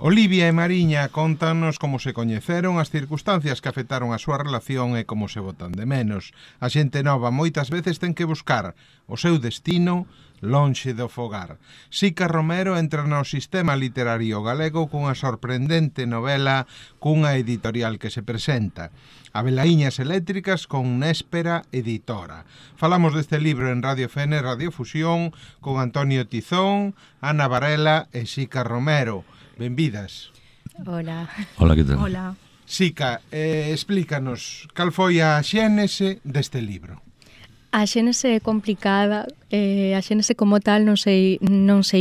Olivia e Mariña contanos como se coñeceron, as circunstancias que afectaron a súa relación e como se botan de menos. A xente nova moitas veces ten que buscar o seu destino lonxe do fogar. Sica Romero entra no sistema literario galego cunha sorprendente novela cunha editorial que se presenta. Abelaíñas eléctricas con Néspera Editora. Falamos deste libro en Radio FN, Radio Fusión, con Antonio Tizón, Ana Varela e Sica Romero. Benvidas. Hola. Hola, que tal? Hola. Sica, explícanos cal foi a xénese deste libro. A xénese é complicada, a xénese como tal non sei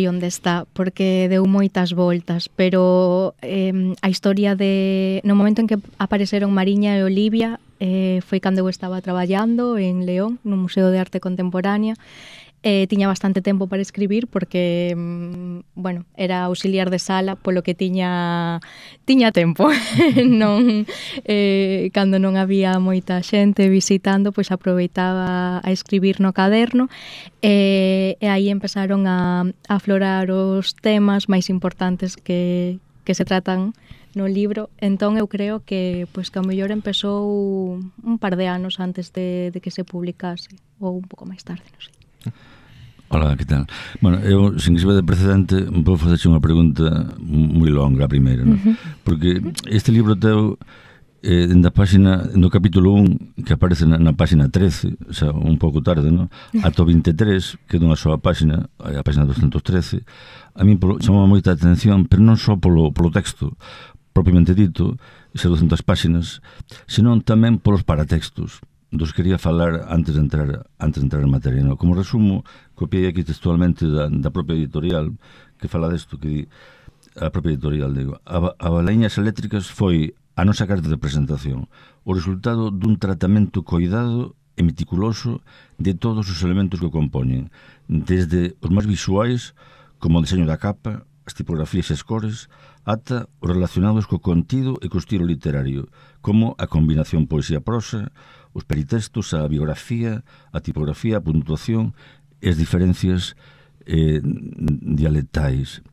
onde está, porque deu moitas voltas, pero a historia no momento en que apareceron Mariña e Olivia foi cando eu estaba traballando en León, no Museo de Arte Contemporánea. Tiña bastante tempo para escribir porque, era auxiliar de sala, polo que tiña tempo. Non, cando non había moita xente visitando, pois aproveitaba a escribir no caderno e aí empezaron a aflorar os temas máis importantes que se tratan no libro. Entón eu creo que ao mellor empezou un par de anos antes de que se publicase, ou un pouco máis tarde, non sei. Hola, que tal? Bueno, eu, sin que se vea de precedente, vou facerche unha pregunta moi longa a primeira, non? Porque este libro teu, na página, no capítulo 1, que aparece na página 13, o sea, un pouco tarde, non? Ata 23, que é dunha soa página, a página 213, a mí chamou moita atención, pero non só polo texto propiamente dito, esas 200 páginas, senón tamén polos paratextos dos quería falar antes de entrar en materia, no? Como resumo, copiei aquí textualmente da propia editorial que fala desto, que di, a propia editorial, digo, Abelaíñas eléctricas foi a nosa carta de presentación, o resultado dun tratamento coidado e meticuloso de todos os elementos que o compoñen, desde os máis visuais, como o diseño da capa, as tipografías e as cores, ata os relacionados co contido e co estilo literario, como a combinación poesía-prosa, os peritextos, a biografía, a tipografía, a puntuación e as diferencias dialectais.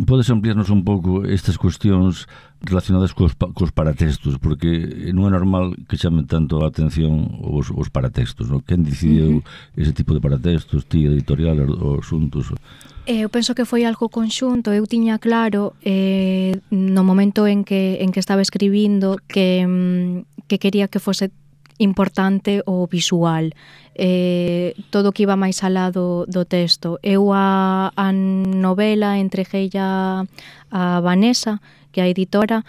Podes ampliarnos un pouco estas cuestións relacionadas cos paratextos, porque non é normal que chamen tanto a atención os paratextos, non? Quen decidiu ese tipo de paratextos, ti, editorial, os asuntos? Eu penso que foi algo conxunto. Eu tiña claro no momento en que estaba escribindo que quería que fose importante o visual, todo o que iba máis alá do texto. Eu a novela entregueilla a Vanessa, que é a editora,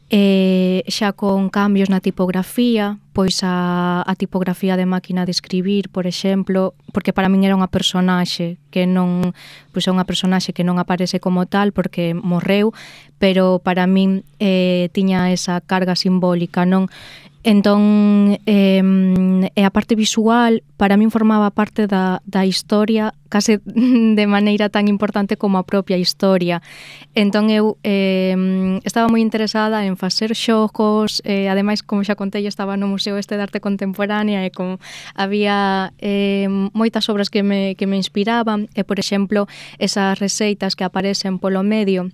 xa con cambios na tipografía, pois a tipografía de máquina de escribir, por exemplo, porque para min era unha personaxe que non, pois é unha personaxe que non aparece como tal porque morreu, pero para min tiña esa carga simbólica, non? Entón, a parte visual para min formaba parte da historia case de maneira tan importante como a propia historia. Entón eu estaba moi interesada en facer xogos, ademais, como xa contei, estaba no Museo de Arte Contemporánea e había moitas obras que me inspiraban e, por exemplo, esas receitas que aparecen polo medio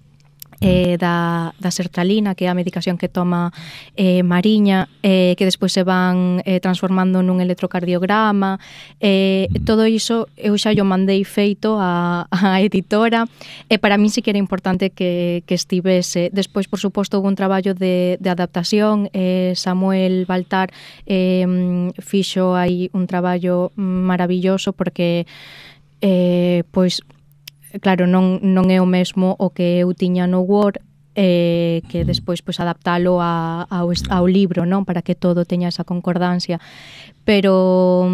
da sertralina, que é a medicación que toma Mariña, que despois se van transformando nun electrocardiograma, todo iso eu xa yo mandei feito a editora e para min sí que era importante que estivese. Despois, por suposto, houve un traballo de adaptación, Samuel Baltar fixo aí un traballo maravilloso porque claro, non é o mesmo o que eu tiña no Word, que despois adaptalo ao libro, non, para que todo teña esa concordancia, pero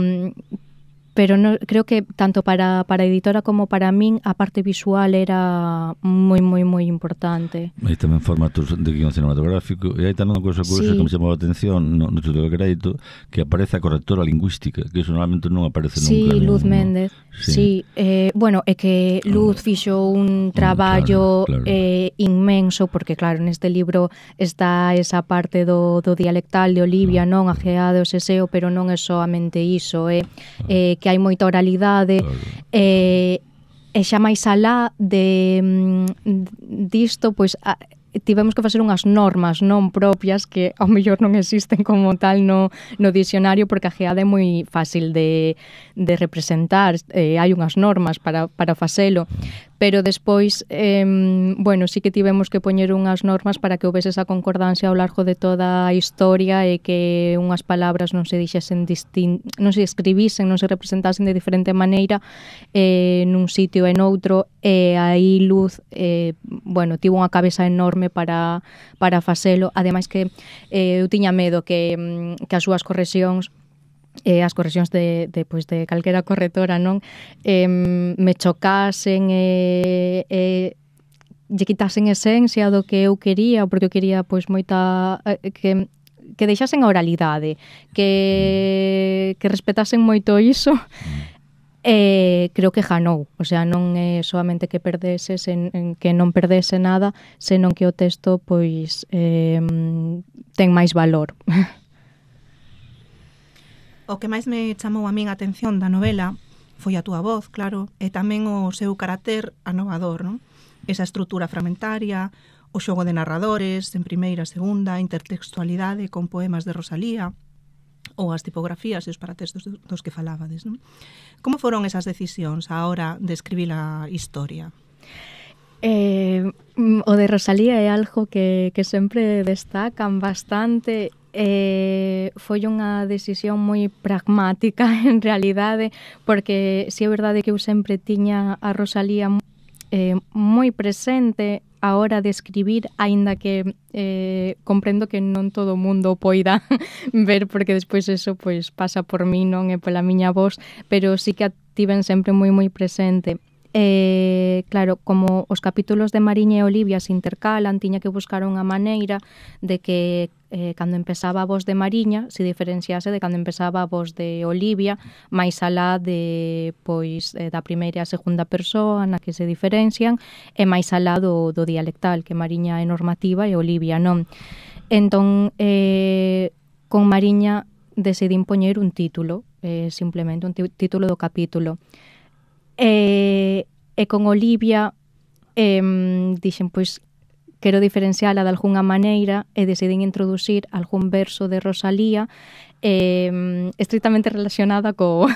no, creo que tanto para a editora como para min a parte visual era moi importante. E tamén formatos de guión cinematográfico, e hai tamén unha cousa que me chamou a atención no título de crédito, que aparece a correctora lingüística, que iso normalmente non aparece nunca. Sí, Luz Méndez. Sí, é que Luz fixo un traballo inmenso, porque claro, neste libro está esa parte do dialectal de Olivia, non, a GA do seseo, pero non é soamente iso, que hai moita oralidade, E xa máis alá disto, pois tivemos que facer unhas normas non propias que ao mellor non existen como tal no dicionario, porque a geada é moi fácil de representar, hai unhas normas para facelo, pero despois, bueno, sí que tivemos que poñer unhas normas para que houvese esa concordancia ao largo de toda a historia e que unhas palabras non se dixesen non se escribisen, non se representasen de diferente maneira nun sitio e noutro, e aí Luz, bueno, tivo unha cabeza enorme para facelo, ademais que eu tiña medo que as súas correccións as correccións de calquera corretora non me chocasen lle quitasen esencia do que eu quería, porque eu quería pois moita que deixasen a oralidade, que respetasen moito iso. Creo que ganou, o sea, non é solamente que perdese, que non perdese nada, senón que o texto pois ten máis valor. O que máis me chamou a min a atención da novela foi a túa voz, claro, e tamén o seu carácter anovador, non? Esa estrutura fragmentaria, o xogo de narradores en primeira, segunda, intertextualidade con poemas de Rosalía, ou as tipografías e os paratextos dos que falabades, non? Como foron esas decisións a hora de escribir a historia? O de Rosalía é algo que sempre destacan bastante. Foi unha decisión moi pragmática en realidade, porque si é verdade que eu sempre tiña a Rosalía moi presente a hora de escribir, aínda que comprendo que non todo o mundo poida ver, porque despois eso pois pasa por mí, non é pola miña voz, pero sí que a tiven sempre moi presente. Claro, como os capítulos de Mariña e Olivia se intercalan, tiña que buscar unha maneira de que cando empezaba a voz de Mariña se diferenciase de cando empezaba a voz de Olivia, máis alá de pois da primeira e a segunda persoa na que se diferencian, e máis alá do dialectal, que Mariña é normativa e Olivia non. Entón, con Mariña decidín poñer un título, simplemente un título do capítulo. E con Olivia dixen, pois, quero diferenciala de algunha maneira e decidín introducir algún verso de Rosalía estritamente relacionada co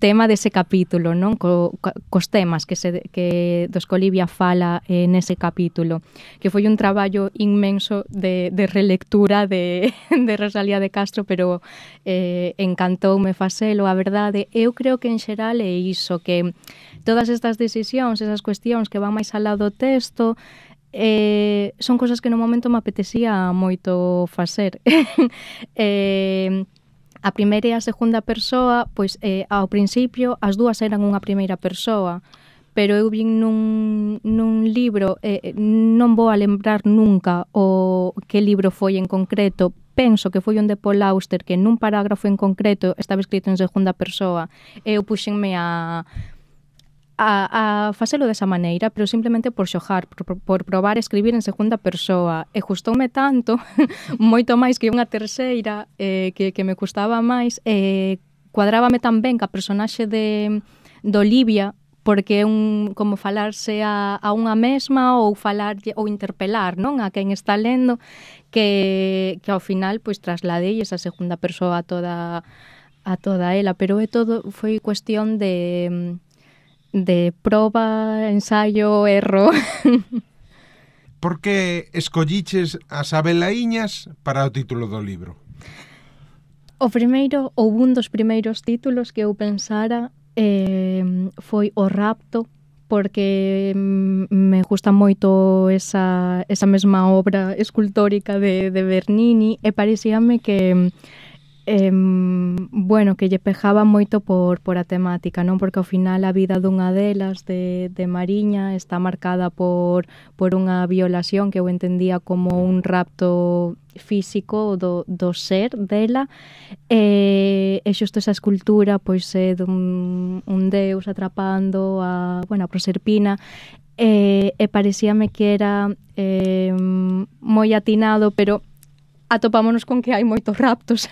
tema dese capítulo, non? Cos temas dos que Olivia fala nese capítulo, que foi un traballo inmenso de relectura de Rosalía de Castro, pero encantoume facelo, a verdade. Eu creo que en xeral é iso, que todas estas decisións, esas cuestións que van máis alá do texto, son cosas que no momento me apetecía moito facer. A primeira e a segunda persoa, pois ao principio as dúas eran unha primeira persoa, pero eu vin nun libro, non vou a lembrar nunca o que libro foi en concreto, penso que foi un de Paul Auster, que nun parágrafo en concreto estaba escrito en segunda persoa, e eu puxenme a facelo desa maneira, pero simplemente por xogar, por probar a escribir en segunda persoa, e gustoume tanto, moito máis que unha terceira, que me custaba máis, cuadrábame tan ben ca personaxe de Olivia, porque é como falarse a unha mesma ou falar ou interpelar, non, a quen está lendo, que ao final pois trasladei esa segunda persoa a toda ela, pero foi cuestión de proba, ensayo, erro. Por que escolliches as Abelaíñas para o título do libro? O primeiro, ou un dos primeiros títulos que eu pensara foi O rapto, porque me gusta moito esa mesma obra escultórica de Bernini, e parecíame que bueno, que lle pejaba moito por a temática, non? Porque ao final a vida dunha delas, de Mariña, está marcada por unha violación que eu entendía como un rapto físico do ser dela, e xusto esa escultura pois é dun deus atrapando a Proserpina, e parecíame que era moi atinado, pero atopámonos con que hai moitos raptos,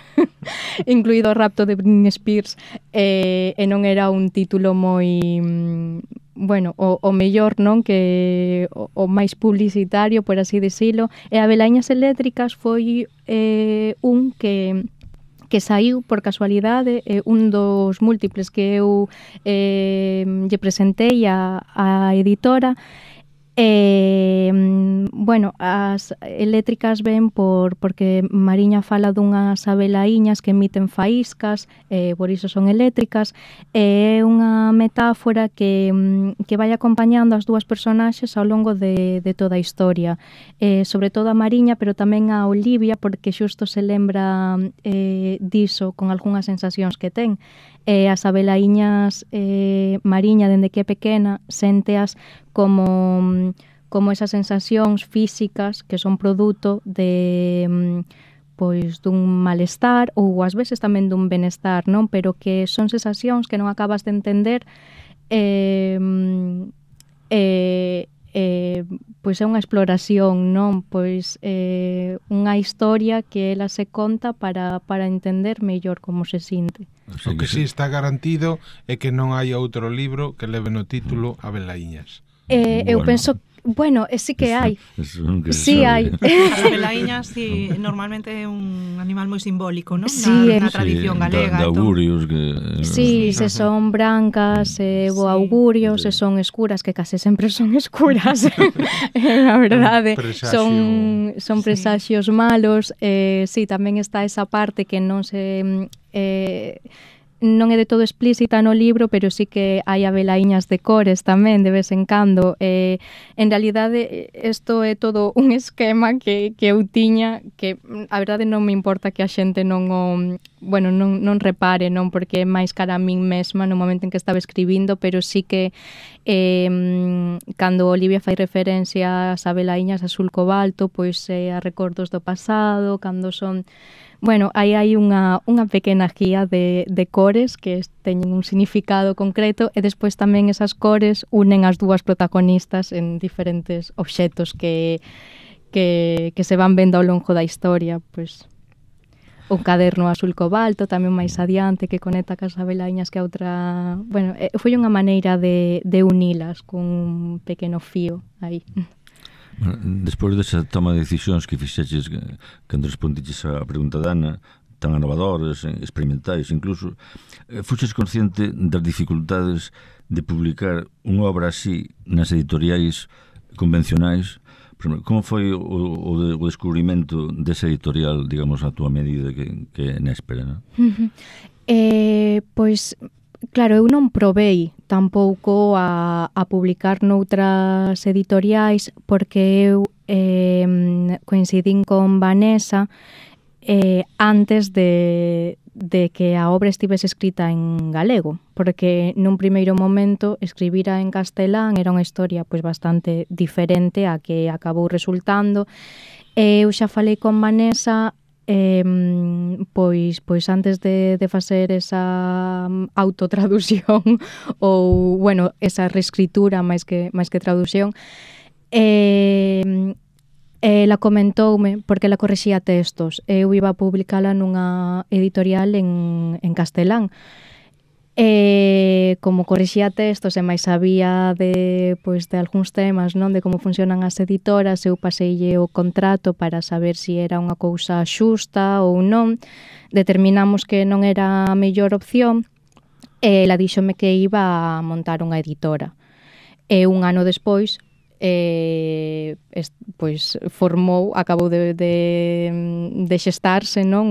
incluído o rapto de Britney Spears, e non era un título moi... bueno, o mellor, non, que o máis publicitario, por así dicilo, e a Velaíñas Eléctricas foi un que saiu por casualidade, un dos múltiples que eu lle presentei a editora. Bueno, as eléctricas ven porque Mariña fala dunhas abelaíñas que emiten faíscas, por iso son eléctricas, é unha metáfora que vai acompañando as dúas personaxes ao longo de toda a historia, sobre todo a Mariña, pero tamén a Olivia, porque xusto se lembra diso con algunhas sensacións que ten. As abelaíñas Mariña, dende que é pequena, sénteas como esas sensacións físicas que son produto de pois dun malestar ou ás veces tamén dun benestar, non? Pero que son sensacións que non acabas de entender, pois é unha exploración, non? Pois unha historia que ela se conta para entender mellor como se sinte. O que sí está garantido é que non hai outro libro que leve no título Abelaíñas. Eu penso, bueno, sí que hai. Sí hai. As abelaíñas, sí, normalmente é un animal moi simbólico, non? Sí, na tradición galega. De augurios que... Sí, se son brancas, bo augurio, se son escuras, que case sempre son escuras. A verdade, son presaxios malos. Sí, tamén está esa parte que non se... non é de todo explícita no libro, pero sí que hai abelaíñas de cores tamén, de vez en cando. En realidade, isto é todo un esquema que eu tiña, que a verdade non me importa que a xente non repare, non, porque é máis cara a min mesma no momento en que estaba escribindo, pero sí que cando Olivia fai referencia ás abelaíñas azul cobalto, pois a recordos do pasado, cando son... Bueno, aí hai unha pequena guía de cores que teñen un significado concreto e despois tamén esas cores unen as dúas protagonistas en diferentes obxetos que se van vendo ao longo da historia, pois un caderno azul cobalto tamén máis adiante que conecta cas abelaíñas que a outra... Bueno, foi unha maneira de unilas con un pequeno fío aí. Bueno, despois desa toma de decisións que fixeches cando respondiches a pregunta da Ana, tan innovadores, experimentais incluso, fuxes consciente das dificultades de publicar unha obra así nas editoriais convencionais? Por exemplo, como foi o descubrimento desa editorial, digamos, a túa medida que é Néspera, non? Pois... Claro, eu non probei tampouco a publicar noutras editoriais porque eu coincidín con Vanessa antes de que a obra estivese escrita en galego, porque nun primeiro momento escribira en castelán era unha historia pois bastante diferente a que acabou resultando. Eu xa falei con Vanessa pois antes de facer esa autotraducción ou, bueno, esa reescritura máis que traducción, ela comentoume, porque ela correxía textos, eu iba a publicala nunha editorial en castelán, como correxía textos e máis sabía de algúns temas, non, de como funcionan as editoras, eu paseille o contrato para saber se era unha cousa xusta ou non. Determinamos que non era a mellor opción e ela díxome que iba a montar unha editora. E un ano despois acabou de xestarse, non,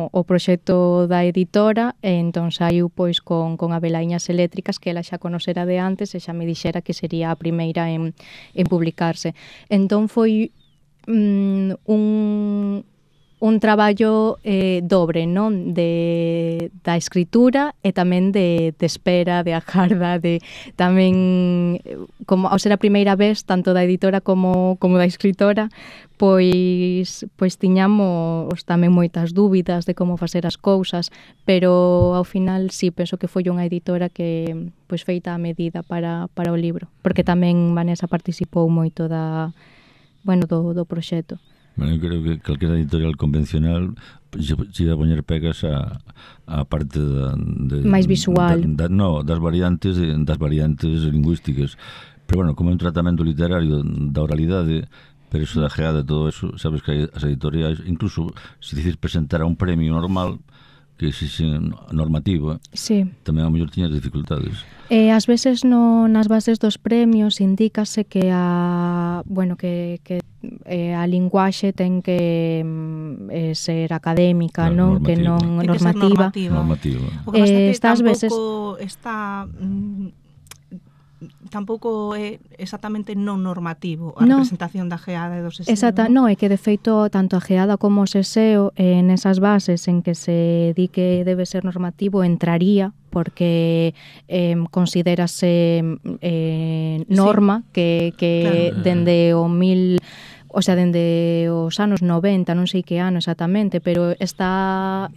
o proxecto da editora e entón saiu pois con Abelaíñas Eléctricas, que ela xa conocera de antes e xa me dixera que sería a primeira en publicarse. Entón foi un traballo dobre, non, da escritura e tamén de espera, de agarda, de tamén, como ao ser a primeira vez, tanto da editora como da escritora, pois tiñamos tamén moitas dúbidas de como facer as cousas, pero ao final sí, penso que foi unha editora que pois feita a medida para o libro, porque tamén Vanessa participou moito do proxecto. Bueno, eu creo que calquera editorial convencional se iba a poñer pegas a parte máis visual. Das variantes lingüísticas. Pero bueno, como é un tratamento literario da oralidade, pero eso da geada, todo eso, sabes que as editoriais, incluso se dices presentar a un premio normal que exixe normativa, sí, tamén a mellor tiñas dificultades. Ás veces nas bases dos premios indícase que a linguaxe ten que ser académica, non? Que non normativa. O que pasa é que tampouco está tampouco é exactamente non normativo a representación da geada e do seseo. Exacto, non, é que de feito tanto a geada como o seseo nesas bases en que se di que debe ser normativo entraría porque considerase norma que claro, dende o dende os anos 90, non sei que ano exactamente, pero está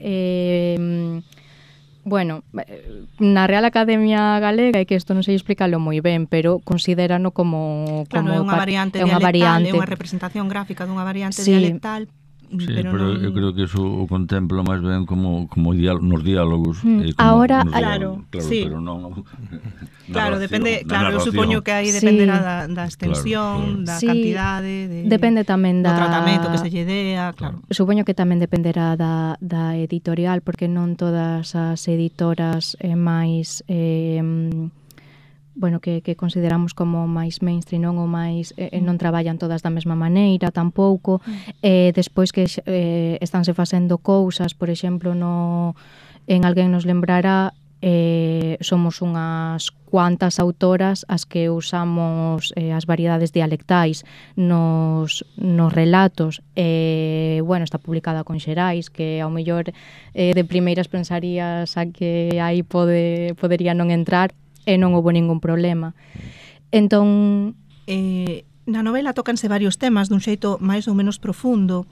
na Real Academia Galega, é que isto non sei explicarlo moi ben, pero considerano como é unha variante dialectal, é unha representación gráfica dunha variante dialectal. Sí, pero eu creo que eso o contemplo máis ben como nos diálogos. Ahora, claro, sí. Pero non... Claro, depende, claro, eu supoño que aí dependerá da extensión, da cantidade, depende tamén do tratamento que se lle dea, claro. Supoño que tamén dependerá da editorial, porque non todas as editoras máis que consideramos como máis mainstream, non o máis non traballan todas da mesma maneira tampouco. Despois que estánse facendo cousas, por exemplo, en Alguén nos lembrará, somos unhas cuantas autoras as que usamos as variedades dialectais nos relatos. Está publicada con Xerais, que ao mellor de primeiras pensarías a que aí podería non entrar, e non houve ningún problema. Entón, na novela tócanse varios temas dun xeito máis ou menos profundo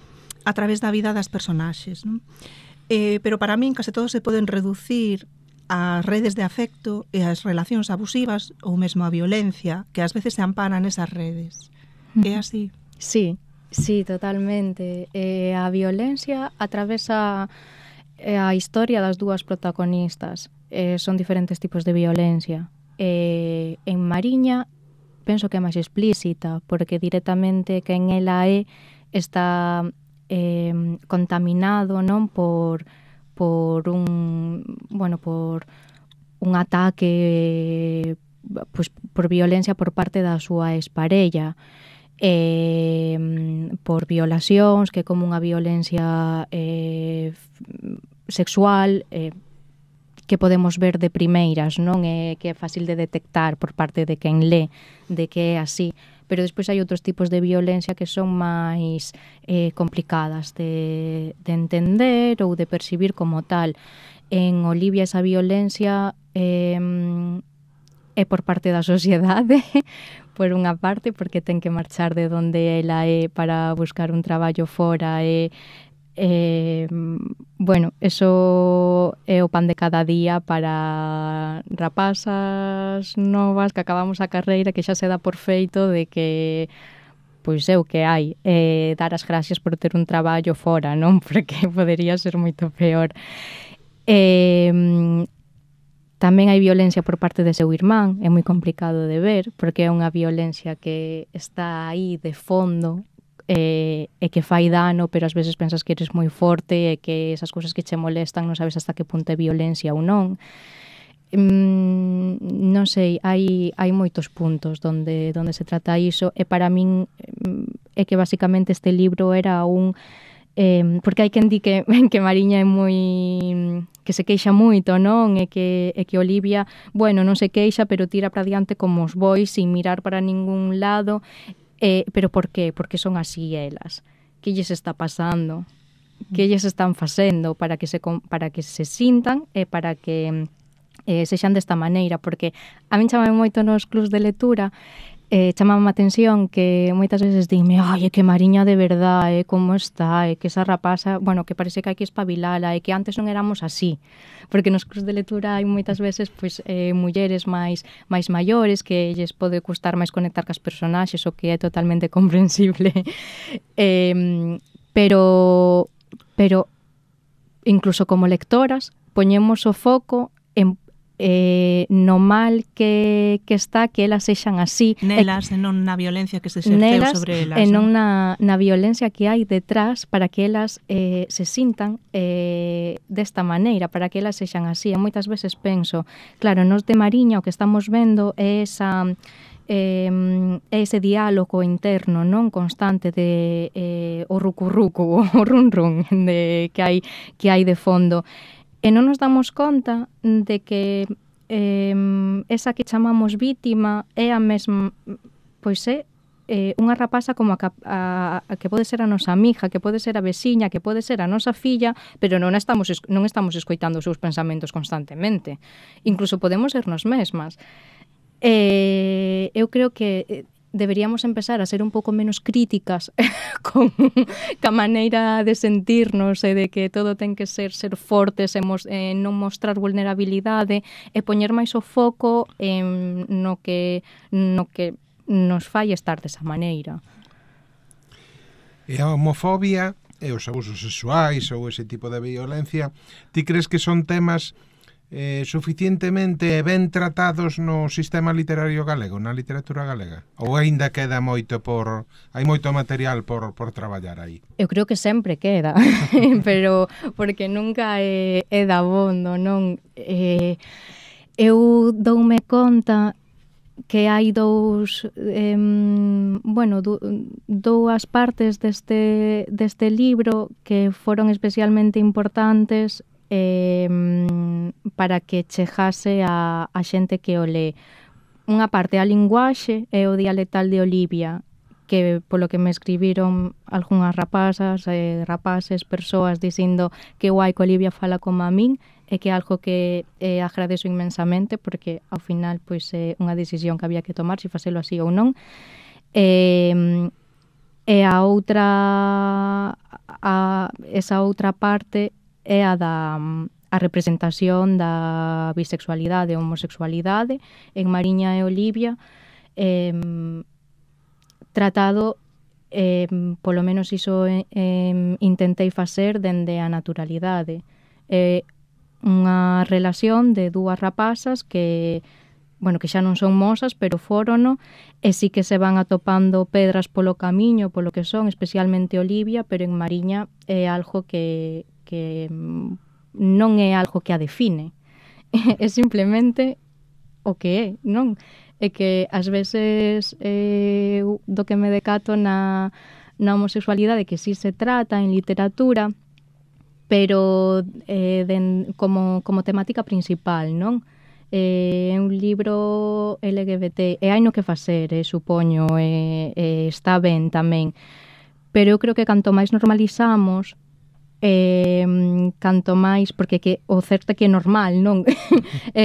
a través da vida das personaxes, non? Pero para min case todos se poden reducir ás redes de afecto e ás relacións abusivas ou mesmo a violencia que ás veces se amparan nesas redes. É así? Sí, totalmente. A violencia atravesa a historia das dúas protagonistas. Son diferentes tipos de violencia. En Mariña penso que é máis explícita, porque directamente quen ela está contaminado, non, por un ataque, por violencia por parte da súa exparella, por violacións, que é como unha violencia sexual, que podemos ver de primeiras, non? Que é fácil de detectar por parte de quen lé, de que é así. Pero despois hai outros tipos de violencia que son máis complicadas de entender ou de percibir como tal. En Olivia esa violencia é por parte da sociedade, por unha parte, porque ten que marchar de onde ela é para buscar un traballo fora eso é o pan de cada día para rapazas novas que acabamos a carreira, que xa se dá por feito de que é o que hai, dar as gracias por ter un traballo fora, non? Porque podería ser moito peor. Tamén hai violencia por parte de seu irmán, é moi complicado de ver, porque é unha violencia que está aí de fondo, e que fai dano, pero ás veces pensas que eres moi forte e que esas cousas que che molestan non sabes hasta que punto é violencia ou non. Non sei, hai moitos puntos onde se trata iso, e para min é que basicamente este libro era porque hai quen di que Mariña é moi que se queixa moito, non? E que Olivia, non se queixa, pero tira para diante como os bois sin mirar para ningún lado. Pero por qué? Porque son así elas. Que lles está pasando? Que lles están facendo para que se sintan e para que sexan desta maneira? Porque a min chamame moito nos clubs de lectura chamame a atención que moitas veces dime, ai, que Mariña de verdade, como está, que esa rapaza, bueno, que parece que hai que espabilala, que antes non éramos así, porque nos cursos de lectura hai moitas veces pois mulleres máis maiores que lles pode custar máis conectar cas personaxes, o que é totalmente comprensible. Pero incluso como lectoras poñemos o foco en no mal que está que elas sexan así. Nelas, e non na violencia que se exerceu sobre elas. E non na violencia que hai detrás para que elas se sintan desta maneira, para que elas sexan así. E moitas veces penso, claro, nos de Mariña o que estamos vendo é ese diálogo interno non constante de o rucurrucu, o run de que hai de fondo. E non nos damos conta de que esa que chamamos vítima é a mesma, pois é unha rapaza como a que pode ser a nosa amiga, que pode ser a veciña, que pode ser a nosa filla, pero non estamos escoitando os seus pensamentos constantemente. Incluso podemos ser nos mesmas. Eu creo que deberíamos empezar a ser un pouco menos críticas con a maneira de sentirnos e de que todo ten que ser fortes e non mostrar vulnerabilidade e poñer máis o foco en no que nos fai estar desa maneira. E a homofobia e os abusos sexuais ou ese tipo de violencia, ti crees que son temas suficientemente ben tratados no sistema literario galego, na literatura galega? Ou aínda queda moito hai moito material por traballar aí? Eu creo que sempre queda, pero porque nunca é dabondo, non? Eu doume conta que hai dúas partes deste libro que foron especialmente importantes para que chegase a xente que o lee. Unha parte a linguaxe é o dialectal de Olivia, que polo que me escribiron algunhas rapazas, rapaces, persoas dicindo que guai que Olivia fala como a min, e que é algo que agradezo inmensamente, porque ao final pois é unha decisión que había que tomar, se facelo así ou non. E a outra esa outra parte é a representación da bisexualidade e homosexualidade en Mariña e Olivia, tratado, polo menos iso intentei facer dende a naturalidade. Unha relación de dúas rapazas que xa non son mozas, pero fórono, e sí que se van atopando pedras polo camiño, polo que son, especialmente Olivia, pero en Mariña é algo que non é algo que a define, é simplemente o que é, non? É que ás veces do que me decato na homosexualidade, que sí se trata en literatura, pero como temática principal, non? É un libro LGBT, e hai no que facer, supoño, está ben tamén, pero eu creo que canto máis normalizamos, canto máis, porque o certo é que é normal, non?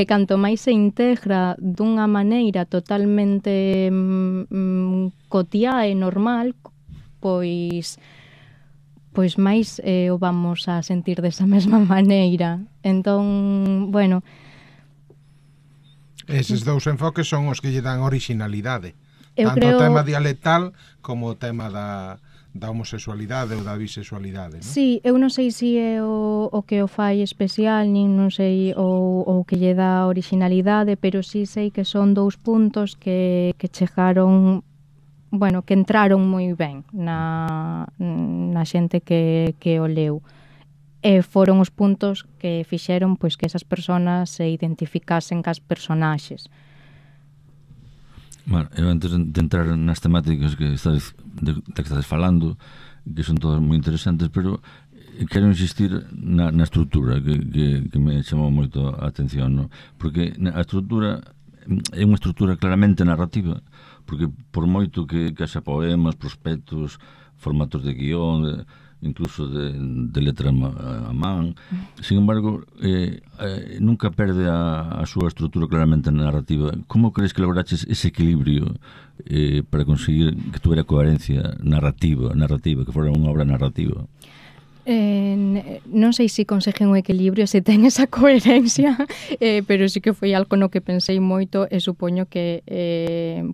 Canto máis se integra dunha maneira totalmente cotiá e normal, pois máis o vamos a sentir desa mesma maneira. Entón, bueno, eses dous enfoques son os que lle dan originalidade, tanto creo... o tema dialectal como o tema da homosexualidade ou da bisexualidade, non? Sí, eu non sei se é o que o fai especial, nin non sei o que lle dá originalidade, pero sí sei que son dous puntos que chegaron, que entraron moi ben na xente que o leu. E foron os puntos que fixeron pois que esas persoas se identificasen cas personaxes. Bueno, eu antes de entrar nas temáticas que estás falando, que son todas moi interesantes, pero quero insistir na estrutura que me chamou moito a atención, no? Porque a estrutura é unha estrutura claramente narrativa, porque por moito que haxa poemas, prospectos, formatos de guión, incluso de letra a man. Sin embargo, nunca perde a súa estrutura claramente narrativa. Como crees que lograches ese equilibrio para conseguir que tuviera coherencia narrativa, que fora unha obra narrativa? Non sei se conseguen un equilibrio, se ten esa coherencia, pero sí que foi algo no que pensei moito e supoño que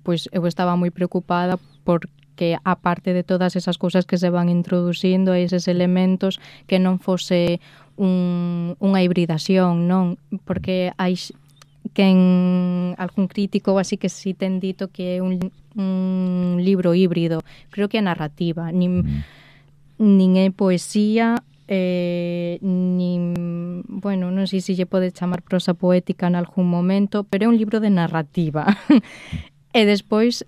pois eu estaba moi preocupada porque aparte de todas esas cousas que se van introducindo, eses elementos, que non fose unha hibridación, non? Porque hai quen algún crítico así que si ten dito que é un libro híbrido. Creo que é narrativa, nin é poesía, nin, bueno, non sei se lle pode chamar prosa poética en algún momento, pero é un libro de narrativa. E despois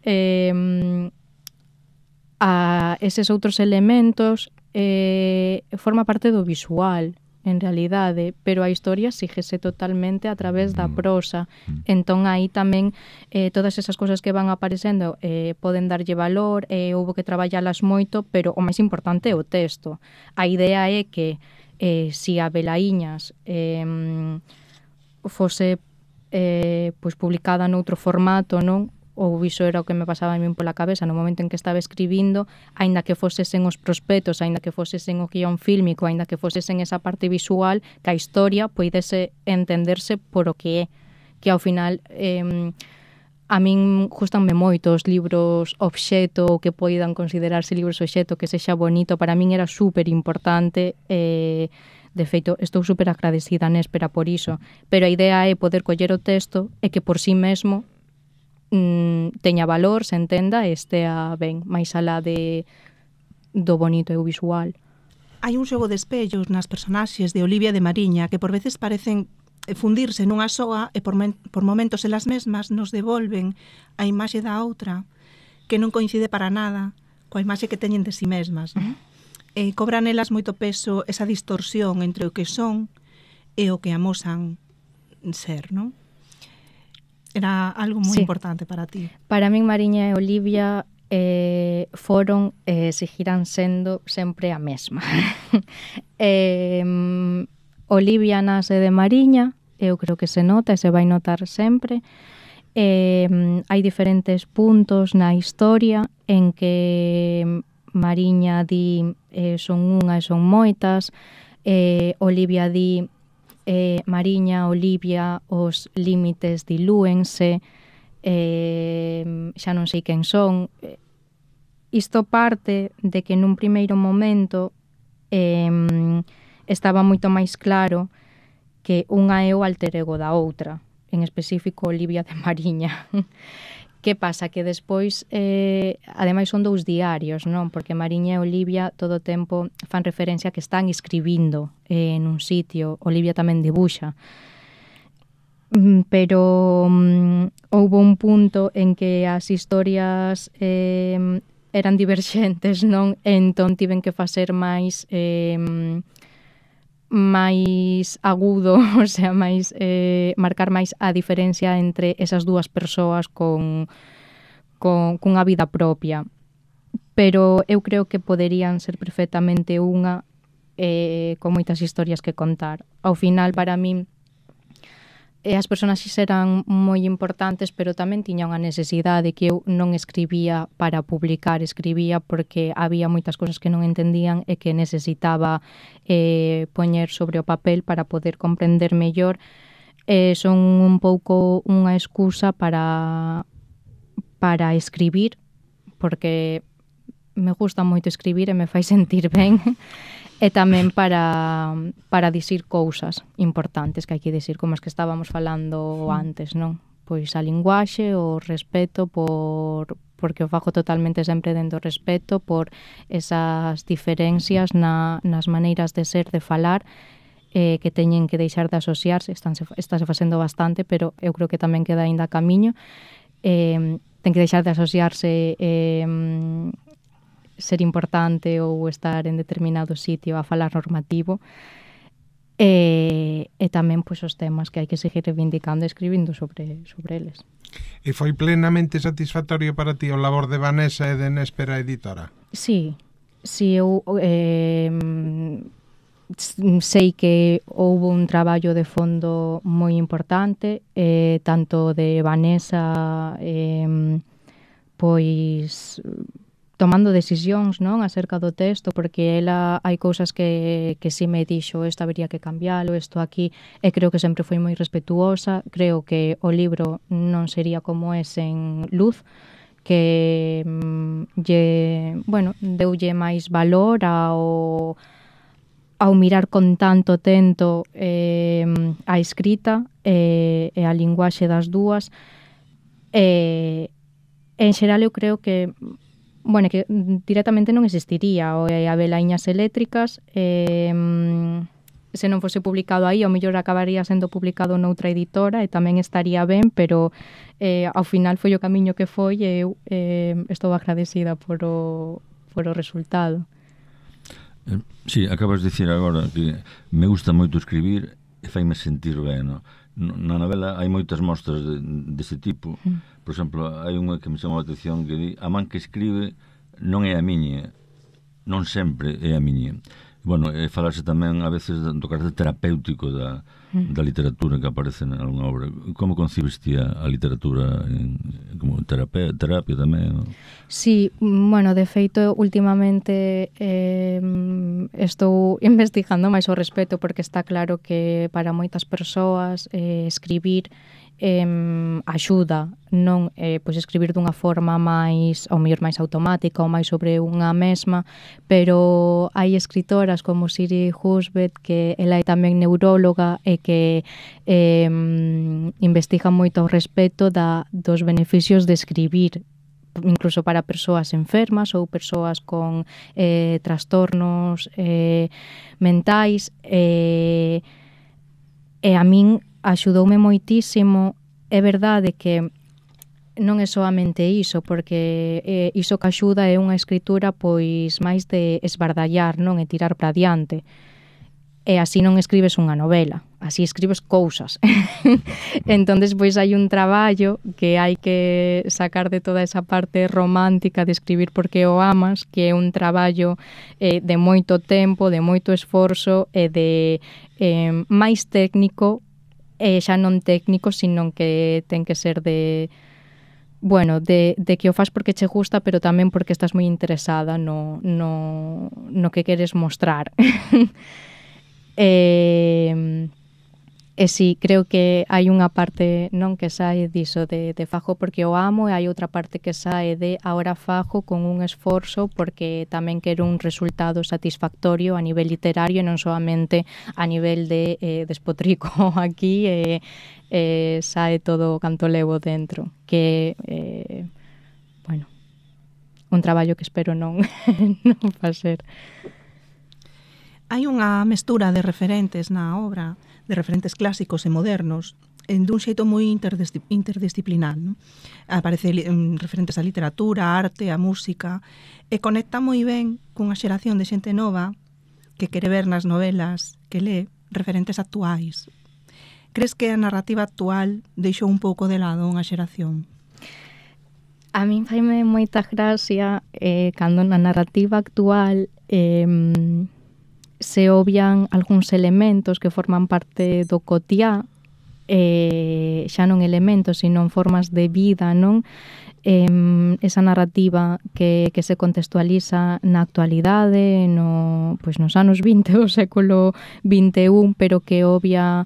a eses outros elementos forma parte do visual, en realidade, pero a historia síguese totalmente a través da prosa. Entón aí tamén todas esas cousas que van aparecendo poden darlle valor, houve que traballalas moito, pero o máis importante é o texto. A idea é que se a Velaíñas fose pois publicada noutro formato, non? Ou iso era o que me pasaba a min pola cabeza no momento en que estaba escribindo, aínda que fosesen os prospectos, aínda que fosesen o guión fílmico, aínda que fosesen esa parte visual, que a historia poidese entenderse por o que é, que ao final a min gustanme moito os libros obxeto, ou que poidan considerarse libros obxeto, que sexa bonito, para min era super importante. De feito, estou super agradecida a Néspera por iso, pero a idea é poder coller o texto e que por si mesmo teña valor, se entenda e estea ben, máis alá do bonito e o visual. Hai un xogo de espellos nas personaxes de Olivia de Mariña que por veces parecen fundirse nunha soa e por momentos elas mesmas nos devolven a imaxe da outra que non coincide para nada coa imaxe que teñen de si mesmas, non? Cobran elas moito peso esa distorsión entre o que son e o que amosan ser, non? Era algo moi importante para ti. Para min Mariña e Olivia foron e seguirán sendo sempre a mesma. Olivia nace de Mariña, eu creo que se nota e se vai notar sempre. Hai diferentes puntos na historia en que Mariña di son unha e son moitas, Olivia di Mariña, Olivia, os límites dilúense, xa non sei quen son. Isto parte de que nun primeiro momento estaba moito máis claro que unha é o alter ego da outra, en específico Olivia de Mariña. Que pasa? Que despois, ademais son dous diarios, non? Porque Mariña e Olivia todo o tempo fan referencia que están escribindo nun sitio. Olivia tamén debuxa. Pero houve un punto en que as historias eran diverxentes, non? Entón tiven que facer máis agudo, o sea, máis marcar máis a diferencia entre esas dúas persoas cunha vida propia. Pero eu creo que poderían ser perfectamente unha con moitas historias que contar. Ao final, para min, as personaxes eran moi importantes, pero tamén tiña unha necesidade que eu non escribía para publicar, escribía porque había moitas cousas que non entendían e que necesitaba poñer sobre o papel para poder comprender mellor. Son un pouco unha excusa para escribir, porque me gusta moito escribir e me fai sentir ben. E tamén para dicir cousas importantes que hai que dicir, como as que estábamos falando antes, non? Pois a linguaxe, o respeto, porque o fago totalmente sempre dentro do respeto, por esas diferencias nas maneiras de ser, de falar, que teñen que deixar de asociarse, estáse facendo bastante, pero eu creo que tamén queda aínda camiño. Ten que deixar de asociarse ser importante ou estar en determinado sitio a falar normativo, e tamén pois os temas que hai que seguir reivindicando e escribindo sobre eles. E foi plenamente satisfactorio para ti o labor de Vanessa e de Néspera Editora? Sí, Si eu sei que houve un traballo de fondo moi importante, tanto de Vanessa, pois tomando decisións, non, acerca do texto, porque ela hai cousas que si me dixo, isto habería que cambiálo, isto aquí, e creo que sempre foi moi respetuosa. Creo que o libro non sería como é sen luz, que deulle máis valor ao mirar con tanto tento a escrita e a linguaxe das dúas. En xeral eu creo que que directamente non existiría o Abelaiñas Eléctricas. Se non fose publicado aí, ao mellor acabaría sendo publicado noutra editora e tamén estaría ben, pero ao final foi o camiño que foi e eu estou agradecida por o resultado. Sí, acabas de dicir agora que me gusta moito escribir e faime sentir ben, no? Na novela hai moitas mostras dese tipo. Por exemplo, hai unha que me chamou a atención que di: a man que escribe non é a miña, non sempre é a miña. Bueno, falarse tamén a veces do carácter terapéutico da literatura que aparece en alguna obra. Como concibes ti a literatura como terapia tamén? Sí, de feito, últimamente estou investigando máis ao respecto, porque está claro que para moitas persoas escribir axuda, non pois escribir dunha forma máis, ao mellor máis automática ou máis sobre unha mesma, pero hai escritoras como Siri Husbeth, que ela é tamén neuróloga e que investiga moito ao respecto dos beneficios de escribir, incluso para persoas enfermas ou persoas con trastornos mentais, e a min axudoume moitísimo. É verdade que non é soamente iso, porque iso que axuda é unha escritura pois máis de esbardallar, non, e tirar para diante. E así non escribes unha novela, así escribes cousas. Entonces, pois hai un traballo que hai que sacar de toda esa parte romántica de escribir porque o amas, que é un traballo de moito tempo, de moito esforzo e de máis técnico, e xa non técnico, sino que ten que ser de que o fas porque che gusta, pero tamén porque estás moi interesada no que queres mostrar. E sí, creo que hai unha parte non que sae diso de fago porque o amo, e hai outra parte que sae de ahora fago con un esforzo porque tamén quero un resultado satisfactorio a nivel literario e non solamente a nivel de despotrico aquí e sae todo o canto levo dentro, que un traballo que espero non facer. Hai unha mestura de referentes na obra, de referentes clásicos e modernos, dun xeito moi interdisciplinar, non? Aparece referentes á literatura, á arte, á música, e conecta moi ben cunha xeración de xente nova que quere ver nas novelas que lee referentes actuais. Crees que a narrativa actual deixou un pouco de lado unha xeración? A min faime moita gracia cando na narrativa actual se obvian algúns elementos que forman parte do cotiá, xa non elementos, sino formas de vida, non? Esa narrativa que se contextualiza na actualidade, nos anos 20 do século XXI, pero que obvia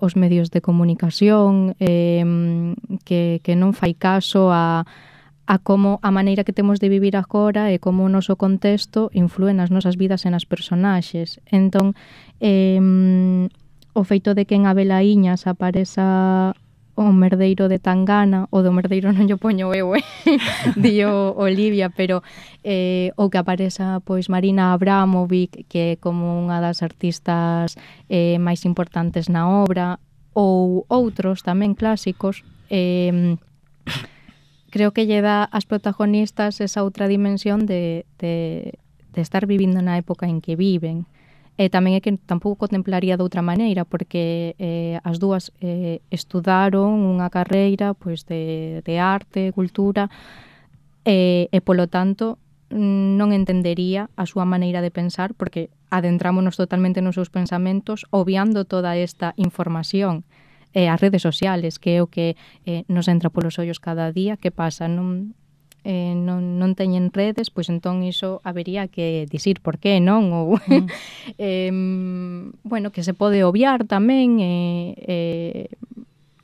os medios de comunicación, que non fai caso a como a maneira que temos de vivir agora e como o noso contexto influe nas nosas vidas e nas personaxes. Entón, o feito de que en Abelaiñas apareza o merdeiro de Tangana, o do merdeiro non yo poño eu, dio Olivia, pero o que apareza pois Marina Abramovic, que é como unha das artistas máis importantes na obra, ou outros tamén clásicos, creo que lle dá ás protagonistas esa outra dimensión de estar vivindo na época en que viven. E tamén é que tampouco contemplaría de outra maneira, porque as dúas estudaron unha carreira pois de arte, cultura, e polo tanto non entendería a súa maneira de pensar, porque adentrámonos totalmente nos seus pensamentos, obviando toda esta información. As redes sociales, que é o que nos entra polos ollos cada día. Que pasa? Non teñen redes, pois entón iso habería que dicir por qué, non? Ou bueno, que se pode obviar tamén,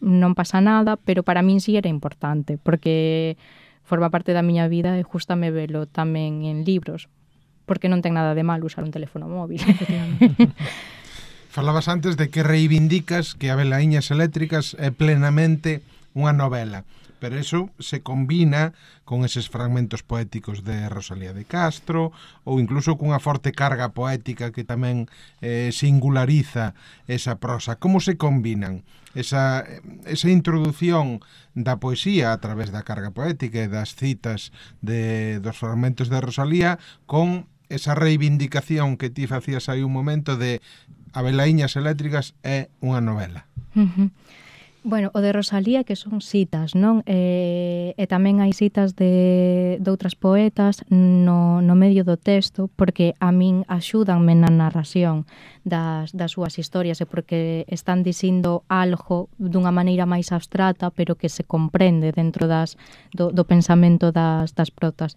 non pasa nada, pero para min sí era importante, porque forma parte da miña vida e gústame velo tamén en libros, porque non ten nada de mal usar un teléfono móvil. Falabas antes de que reivindicas que Abelaiñas Eléctricas é plenamente unha novela, pero eso se combina con eses fragmentos poéticos de Rosalía de Castro ou incluso cunha forte carga poética que tamén singulariza esa prosa. Como se combinan esa introdución da poesía a través da carga poética e das citas dos fragmentos de Rosalía con esa reivindicación que ti facías aí un momento de Abelaiñas Eléctricas é unha novela? Bueno, o de Rosalía que son citas, non? E tamén hai citas de outras poetas no medio do texto, porque a min axúdanme na narración das súas historias, e porque están dicindo algo dunha maneira máis abstrata, pero que se comprende dentro do pensamento das protas.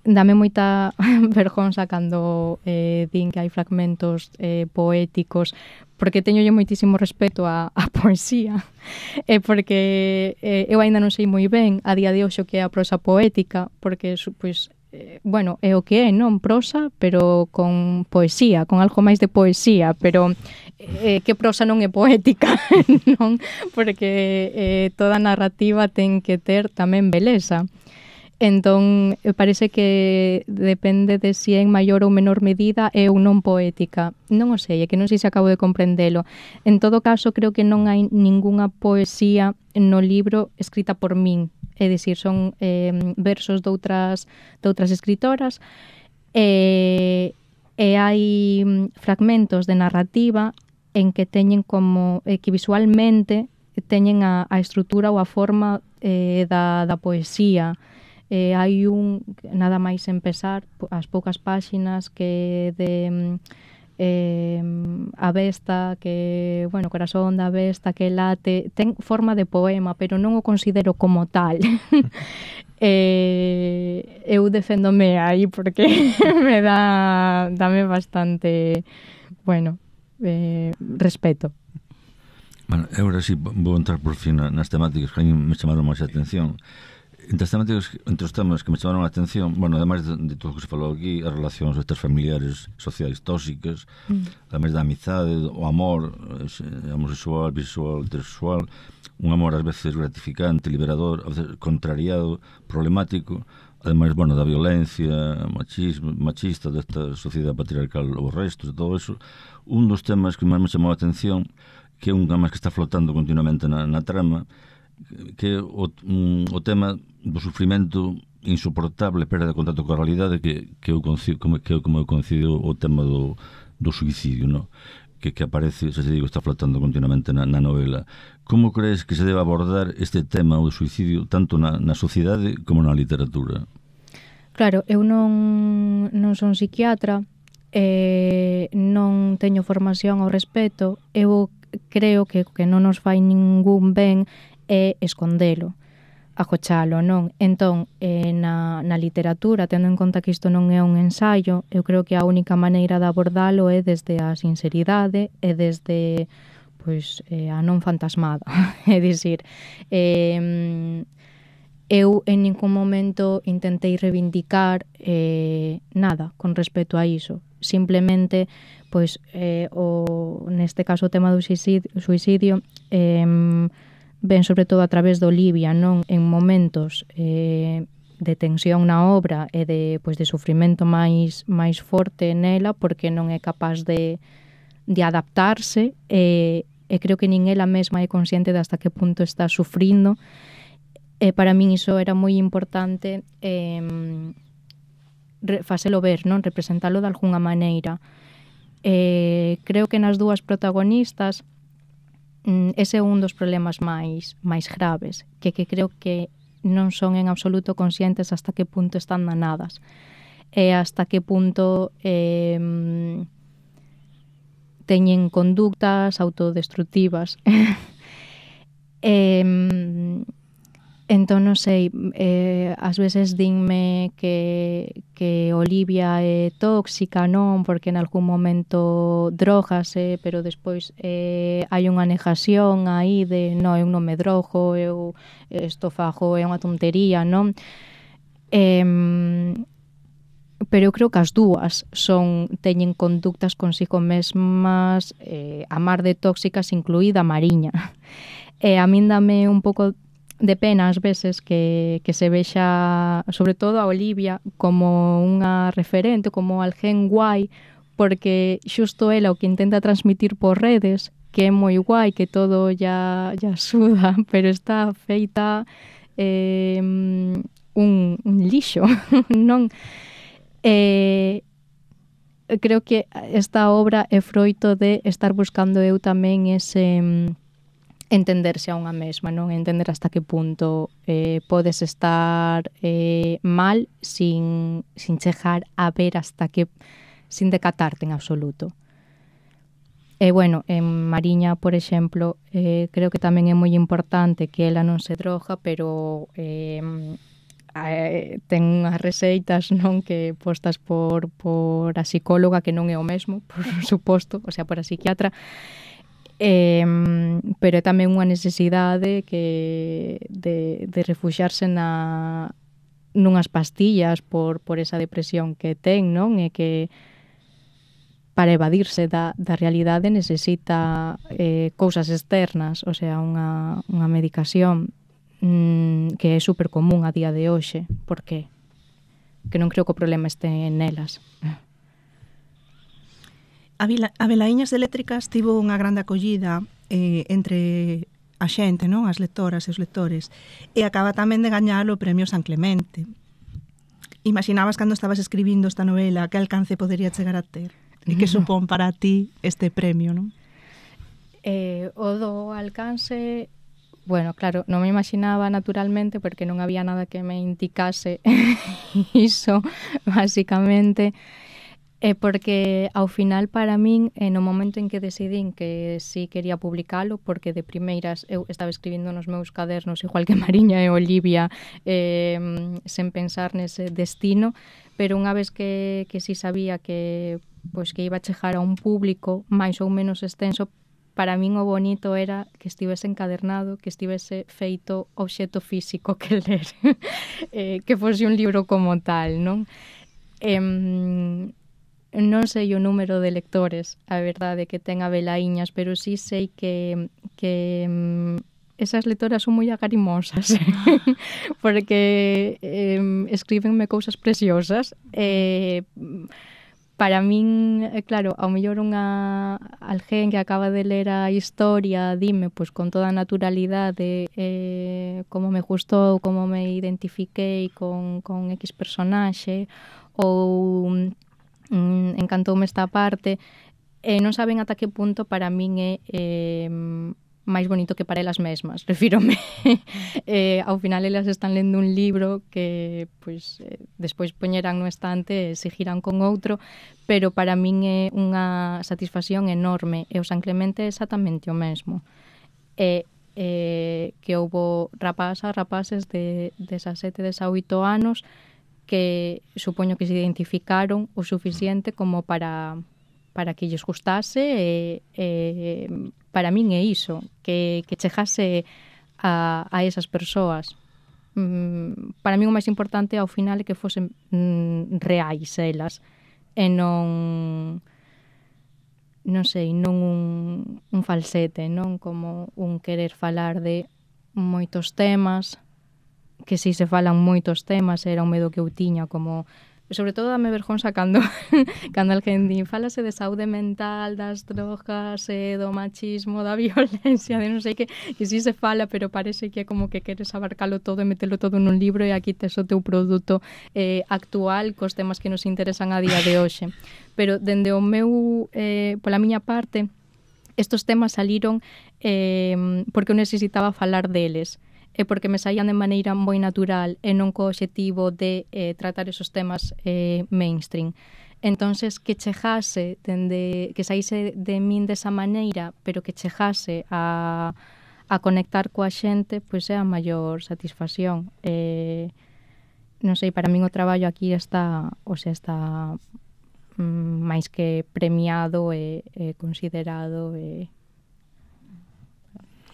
Dame moita vergonza cando din que hai fragmentos poéticos, porque teño moitísimo respeto a poesía, e porque eu aínda non sei moi ben a día de hoxe o que é a prosa poética, porque pois, bueno, é o que é, non? Prosa, pero con poesía, con algo máis de poesía, pero que prosa non é poética, non? Porque toda narrativa ten que ter tamén beleza. Entón, parece que depende de si en maior ou menor medida é ou non poética. Non o sei, é que non sei se acabo de comprendelo. En todo caso, creo que non hai ningunha poesía no libro escrita por min. É dicir, son versos de outras escritoras, e hai fragmentos de narrativa en que teñen como que visualmente teñen a estrutura ou a forma da poesía. Hai nada máis empezar, as poucas páxinas que de a besta, que, bueno, corazón da besta que late, ten forma de poema, pero non o considero como tal. Eu deféndome aí porque dame bastante, bueno, respeto. Bueno, agora sí, vou entrar por fin nas temáticas que me chamaron máis a atención. Entre os temas que me chamaron a atención, bueno, ademais de todo o que se falou aquí, as relacións estas familiares sociais tóxicas, ademais da amizade, o amor homosexual, bisexual, heterosexual, un amor ás veces gratificante, liberador, a veces contrariado, problemático, ademais, bueno, da violencia machista desta sociedade patriarcal, os restos, todo eso. Un dos temas que máis me chamou a atención, que é un tema que está flotando continuamente na trama, que é o tema do sufrimento insoportable, perda de contacto coa realidade, que eu concido o tema do suicidio, no? Que aparece, xa te digo, está flotando continuamente na novela. Como crees que se debe abordar este tema do suicidio tanto na sociedade como na literatura? Claro, eu non son psiquiatra, non teño formación ao respecto. Eu creo que non nos fai ningún ben é escondelo, agochalo, non? Entón, na literatura, tendo en conta que isto non é un ensaio, eu creo que a única maneira de abordalo é desde a sinceridade e desde, pois, a non fantasmada. É dicir, eu en ningún momento intentei reivindicar nada con respecto a iso. Simplemente, pois, neste caso o tema do suicidio, ven sobre todo a través do Olivia, non? En momentos de tensión na obra e de sufrimento máis forte nela, porque non é capaz de adaptarse, e creo que nin ela mesma é consciente de hasta que punto está sufrindo. E para min iso era moi importante, facelo ver, non? Representalo de algunha maneira. Creo que nas dúas protagonistas ese é un dos problemas máis graves, que creo que non son en absoluto conscientes hasta que punto están danadas e hasta que punto teñen conductas autodestructivas. Entón, non sei, ás veces dinme que Olivia é tóxica, non? Porque en algún momento drogase, pero despois hai unha negación aí de non, eu non me drogo, eu isto fago, é unha tontería, non? Pero eu creo que as dúas teñen conductas consigo mesmas, a mar de tóxicas, incluída a Mariña. E a min dame un pouco de pena ás veces que se vexa, sobre todo a Olivia, como unha referente, como alguén guai, porque xusto ela o que intenta transmitir por redes, que é moi guai, que todo ya suda, pero está feita un lixo, non? Creo que esta obra é froito de estar buscando eu tamén ese entenderse a unha mesma, non? Entender hasta que punto podes estar mal sin chegar a ver hasta que, sin decatarte en absoluto. E, bueno, en Mariña, por exemplo, creo que tamén é moi importante que ela non se droga, pero ten unhas receitas, non, que postas por a psicóloga, que non é o mesmo, por suposto, o sea, por a psiquiatra, pero é tamén unha necesidade de refuxiarse nunhas pastillas por esa depresión que ten, non? E que para evadirse da realidade necesita cousas externas, o sea, unha medicación que é super común a día de hoxe. Por que? Que non creo que o problema este nelas. A Velaíñas Eléctricas tivo unha grande acollida entre a xente, non? As lectoras e os lectores, e acaba tamén de gañar o premio San Clemente. Imaginabas cando estabas escribindo esta novela que alcance podería chegar a ter? E que supón para ti este premio, non? O do alcance, bueno, claro, non me imaginaba naturalmente, porque non había nada que me indicase iso, basicamente. Porque ao final para min, no momento en que decidín que sí quería publicalo, porque de primeiras eu estaba escribindo nos meus cadernos igual que Mariña e Olivia, sen pensar nese destino, pero unha vez que sí sabía que iba a chegar a un público máis ou menos extenso, para min o bonito era que estivese encadernado, que estivese feito obxecto físico que ler, que fose un libro como tal, non? Non sei o número de lectores, a verdade, que ten a Velaíñas, pero sí sei que esas lectoras son moi agarimosas, porque escríbenme cousas preciosas. Para min, claro, ao mellor alguén que acaba de ler a historia dime, pois con toda a naturalidade, como me gustou, como me identifiquei con X personaxe, ou encantoume esta parte, non saben ata que punto para min é máis bonito que para elas mesmas, refírome. Ao final elas están lendo un libro que despois poñerán no estante e seguirán con outro, pero para min é unha satisfacción enorme, e o San Clemente é exactamente o mesmo. Que houbo rapaces de 17, 18 anos que supoño que se identificaron o suficiente como para que lles gustase, e para min é iso, que chegase a esas persoas. Para min o máis importante ao final é que fosen reais elas, e non sei, non un falsete, non como un querer falar de moitos temas, que si se falan moitos temas, era un medo que eu tiña, como, sobre todo dame vergonza cando alguén di, falase de saúde mental, das drogas, do machismo, da violencia, de non sei que si se fala, pero parece que é como que queres abarcalo todo e metelo todo nun libro, e aquí tes o teu produto actual cos temas que nos interesan a día de hoxe. Pero dende o meu, pola miña parte, estos temas saliron porque eu necesitaba falar deles. e porque me saían de maneira moi natural e non co obxectivo de tratar esos temas mainstream. Entonces, que chegase, que saíse de min desa maneira, pero que chegase a conectar coa xente, pois é a maior satisfacción. Non sei, para min o traballo aquí está máis que premiado e considerado e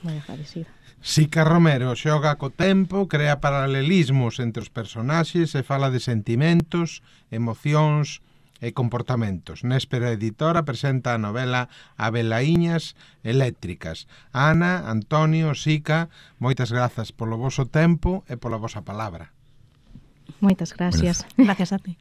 moi agradecido. Sica Romero xoga co tempo, crea paralelismos entre os personaxes e fala de sentimentos, emocións e comportamentos. Néspera Editora presenta a novela Abelaíñas eléctricas. Ana, Antonio, Sica, moitas grazas polo voso tempo e pola vosa palabra. Moitas gracias. Gracias a ti.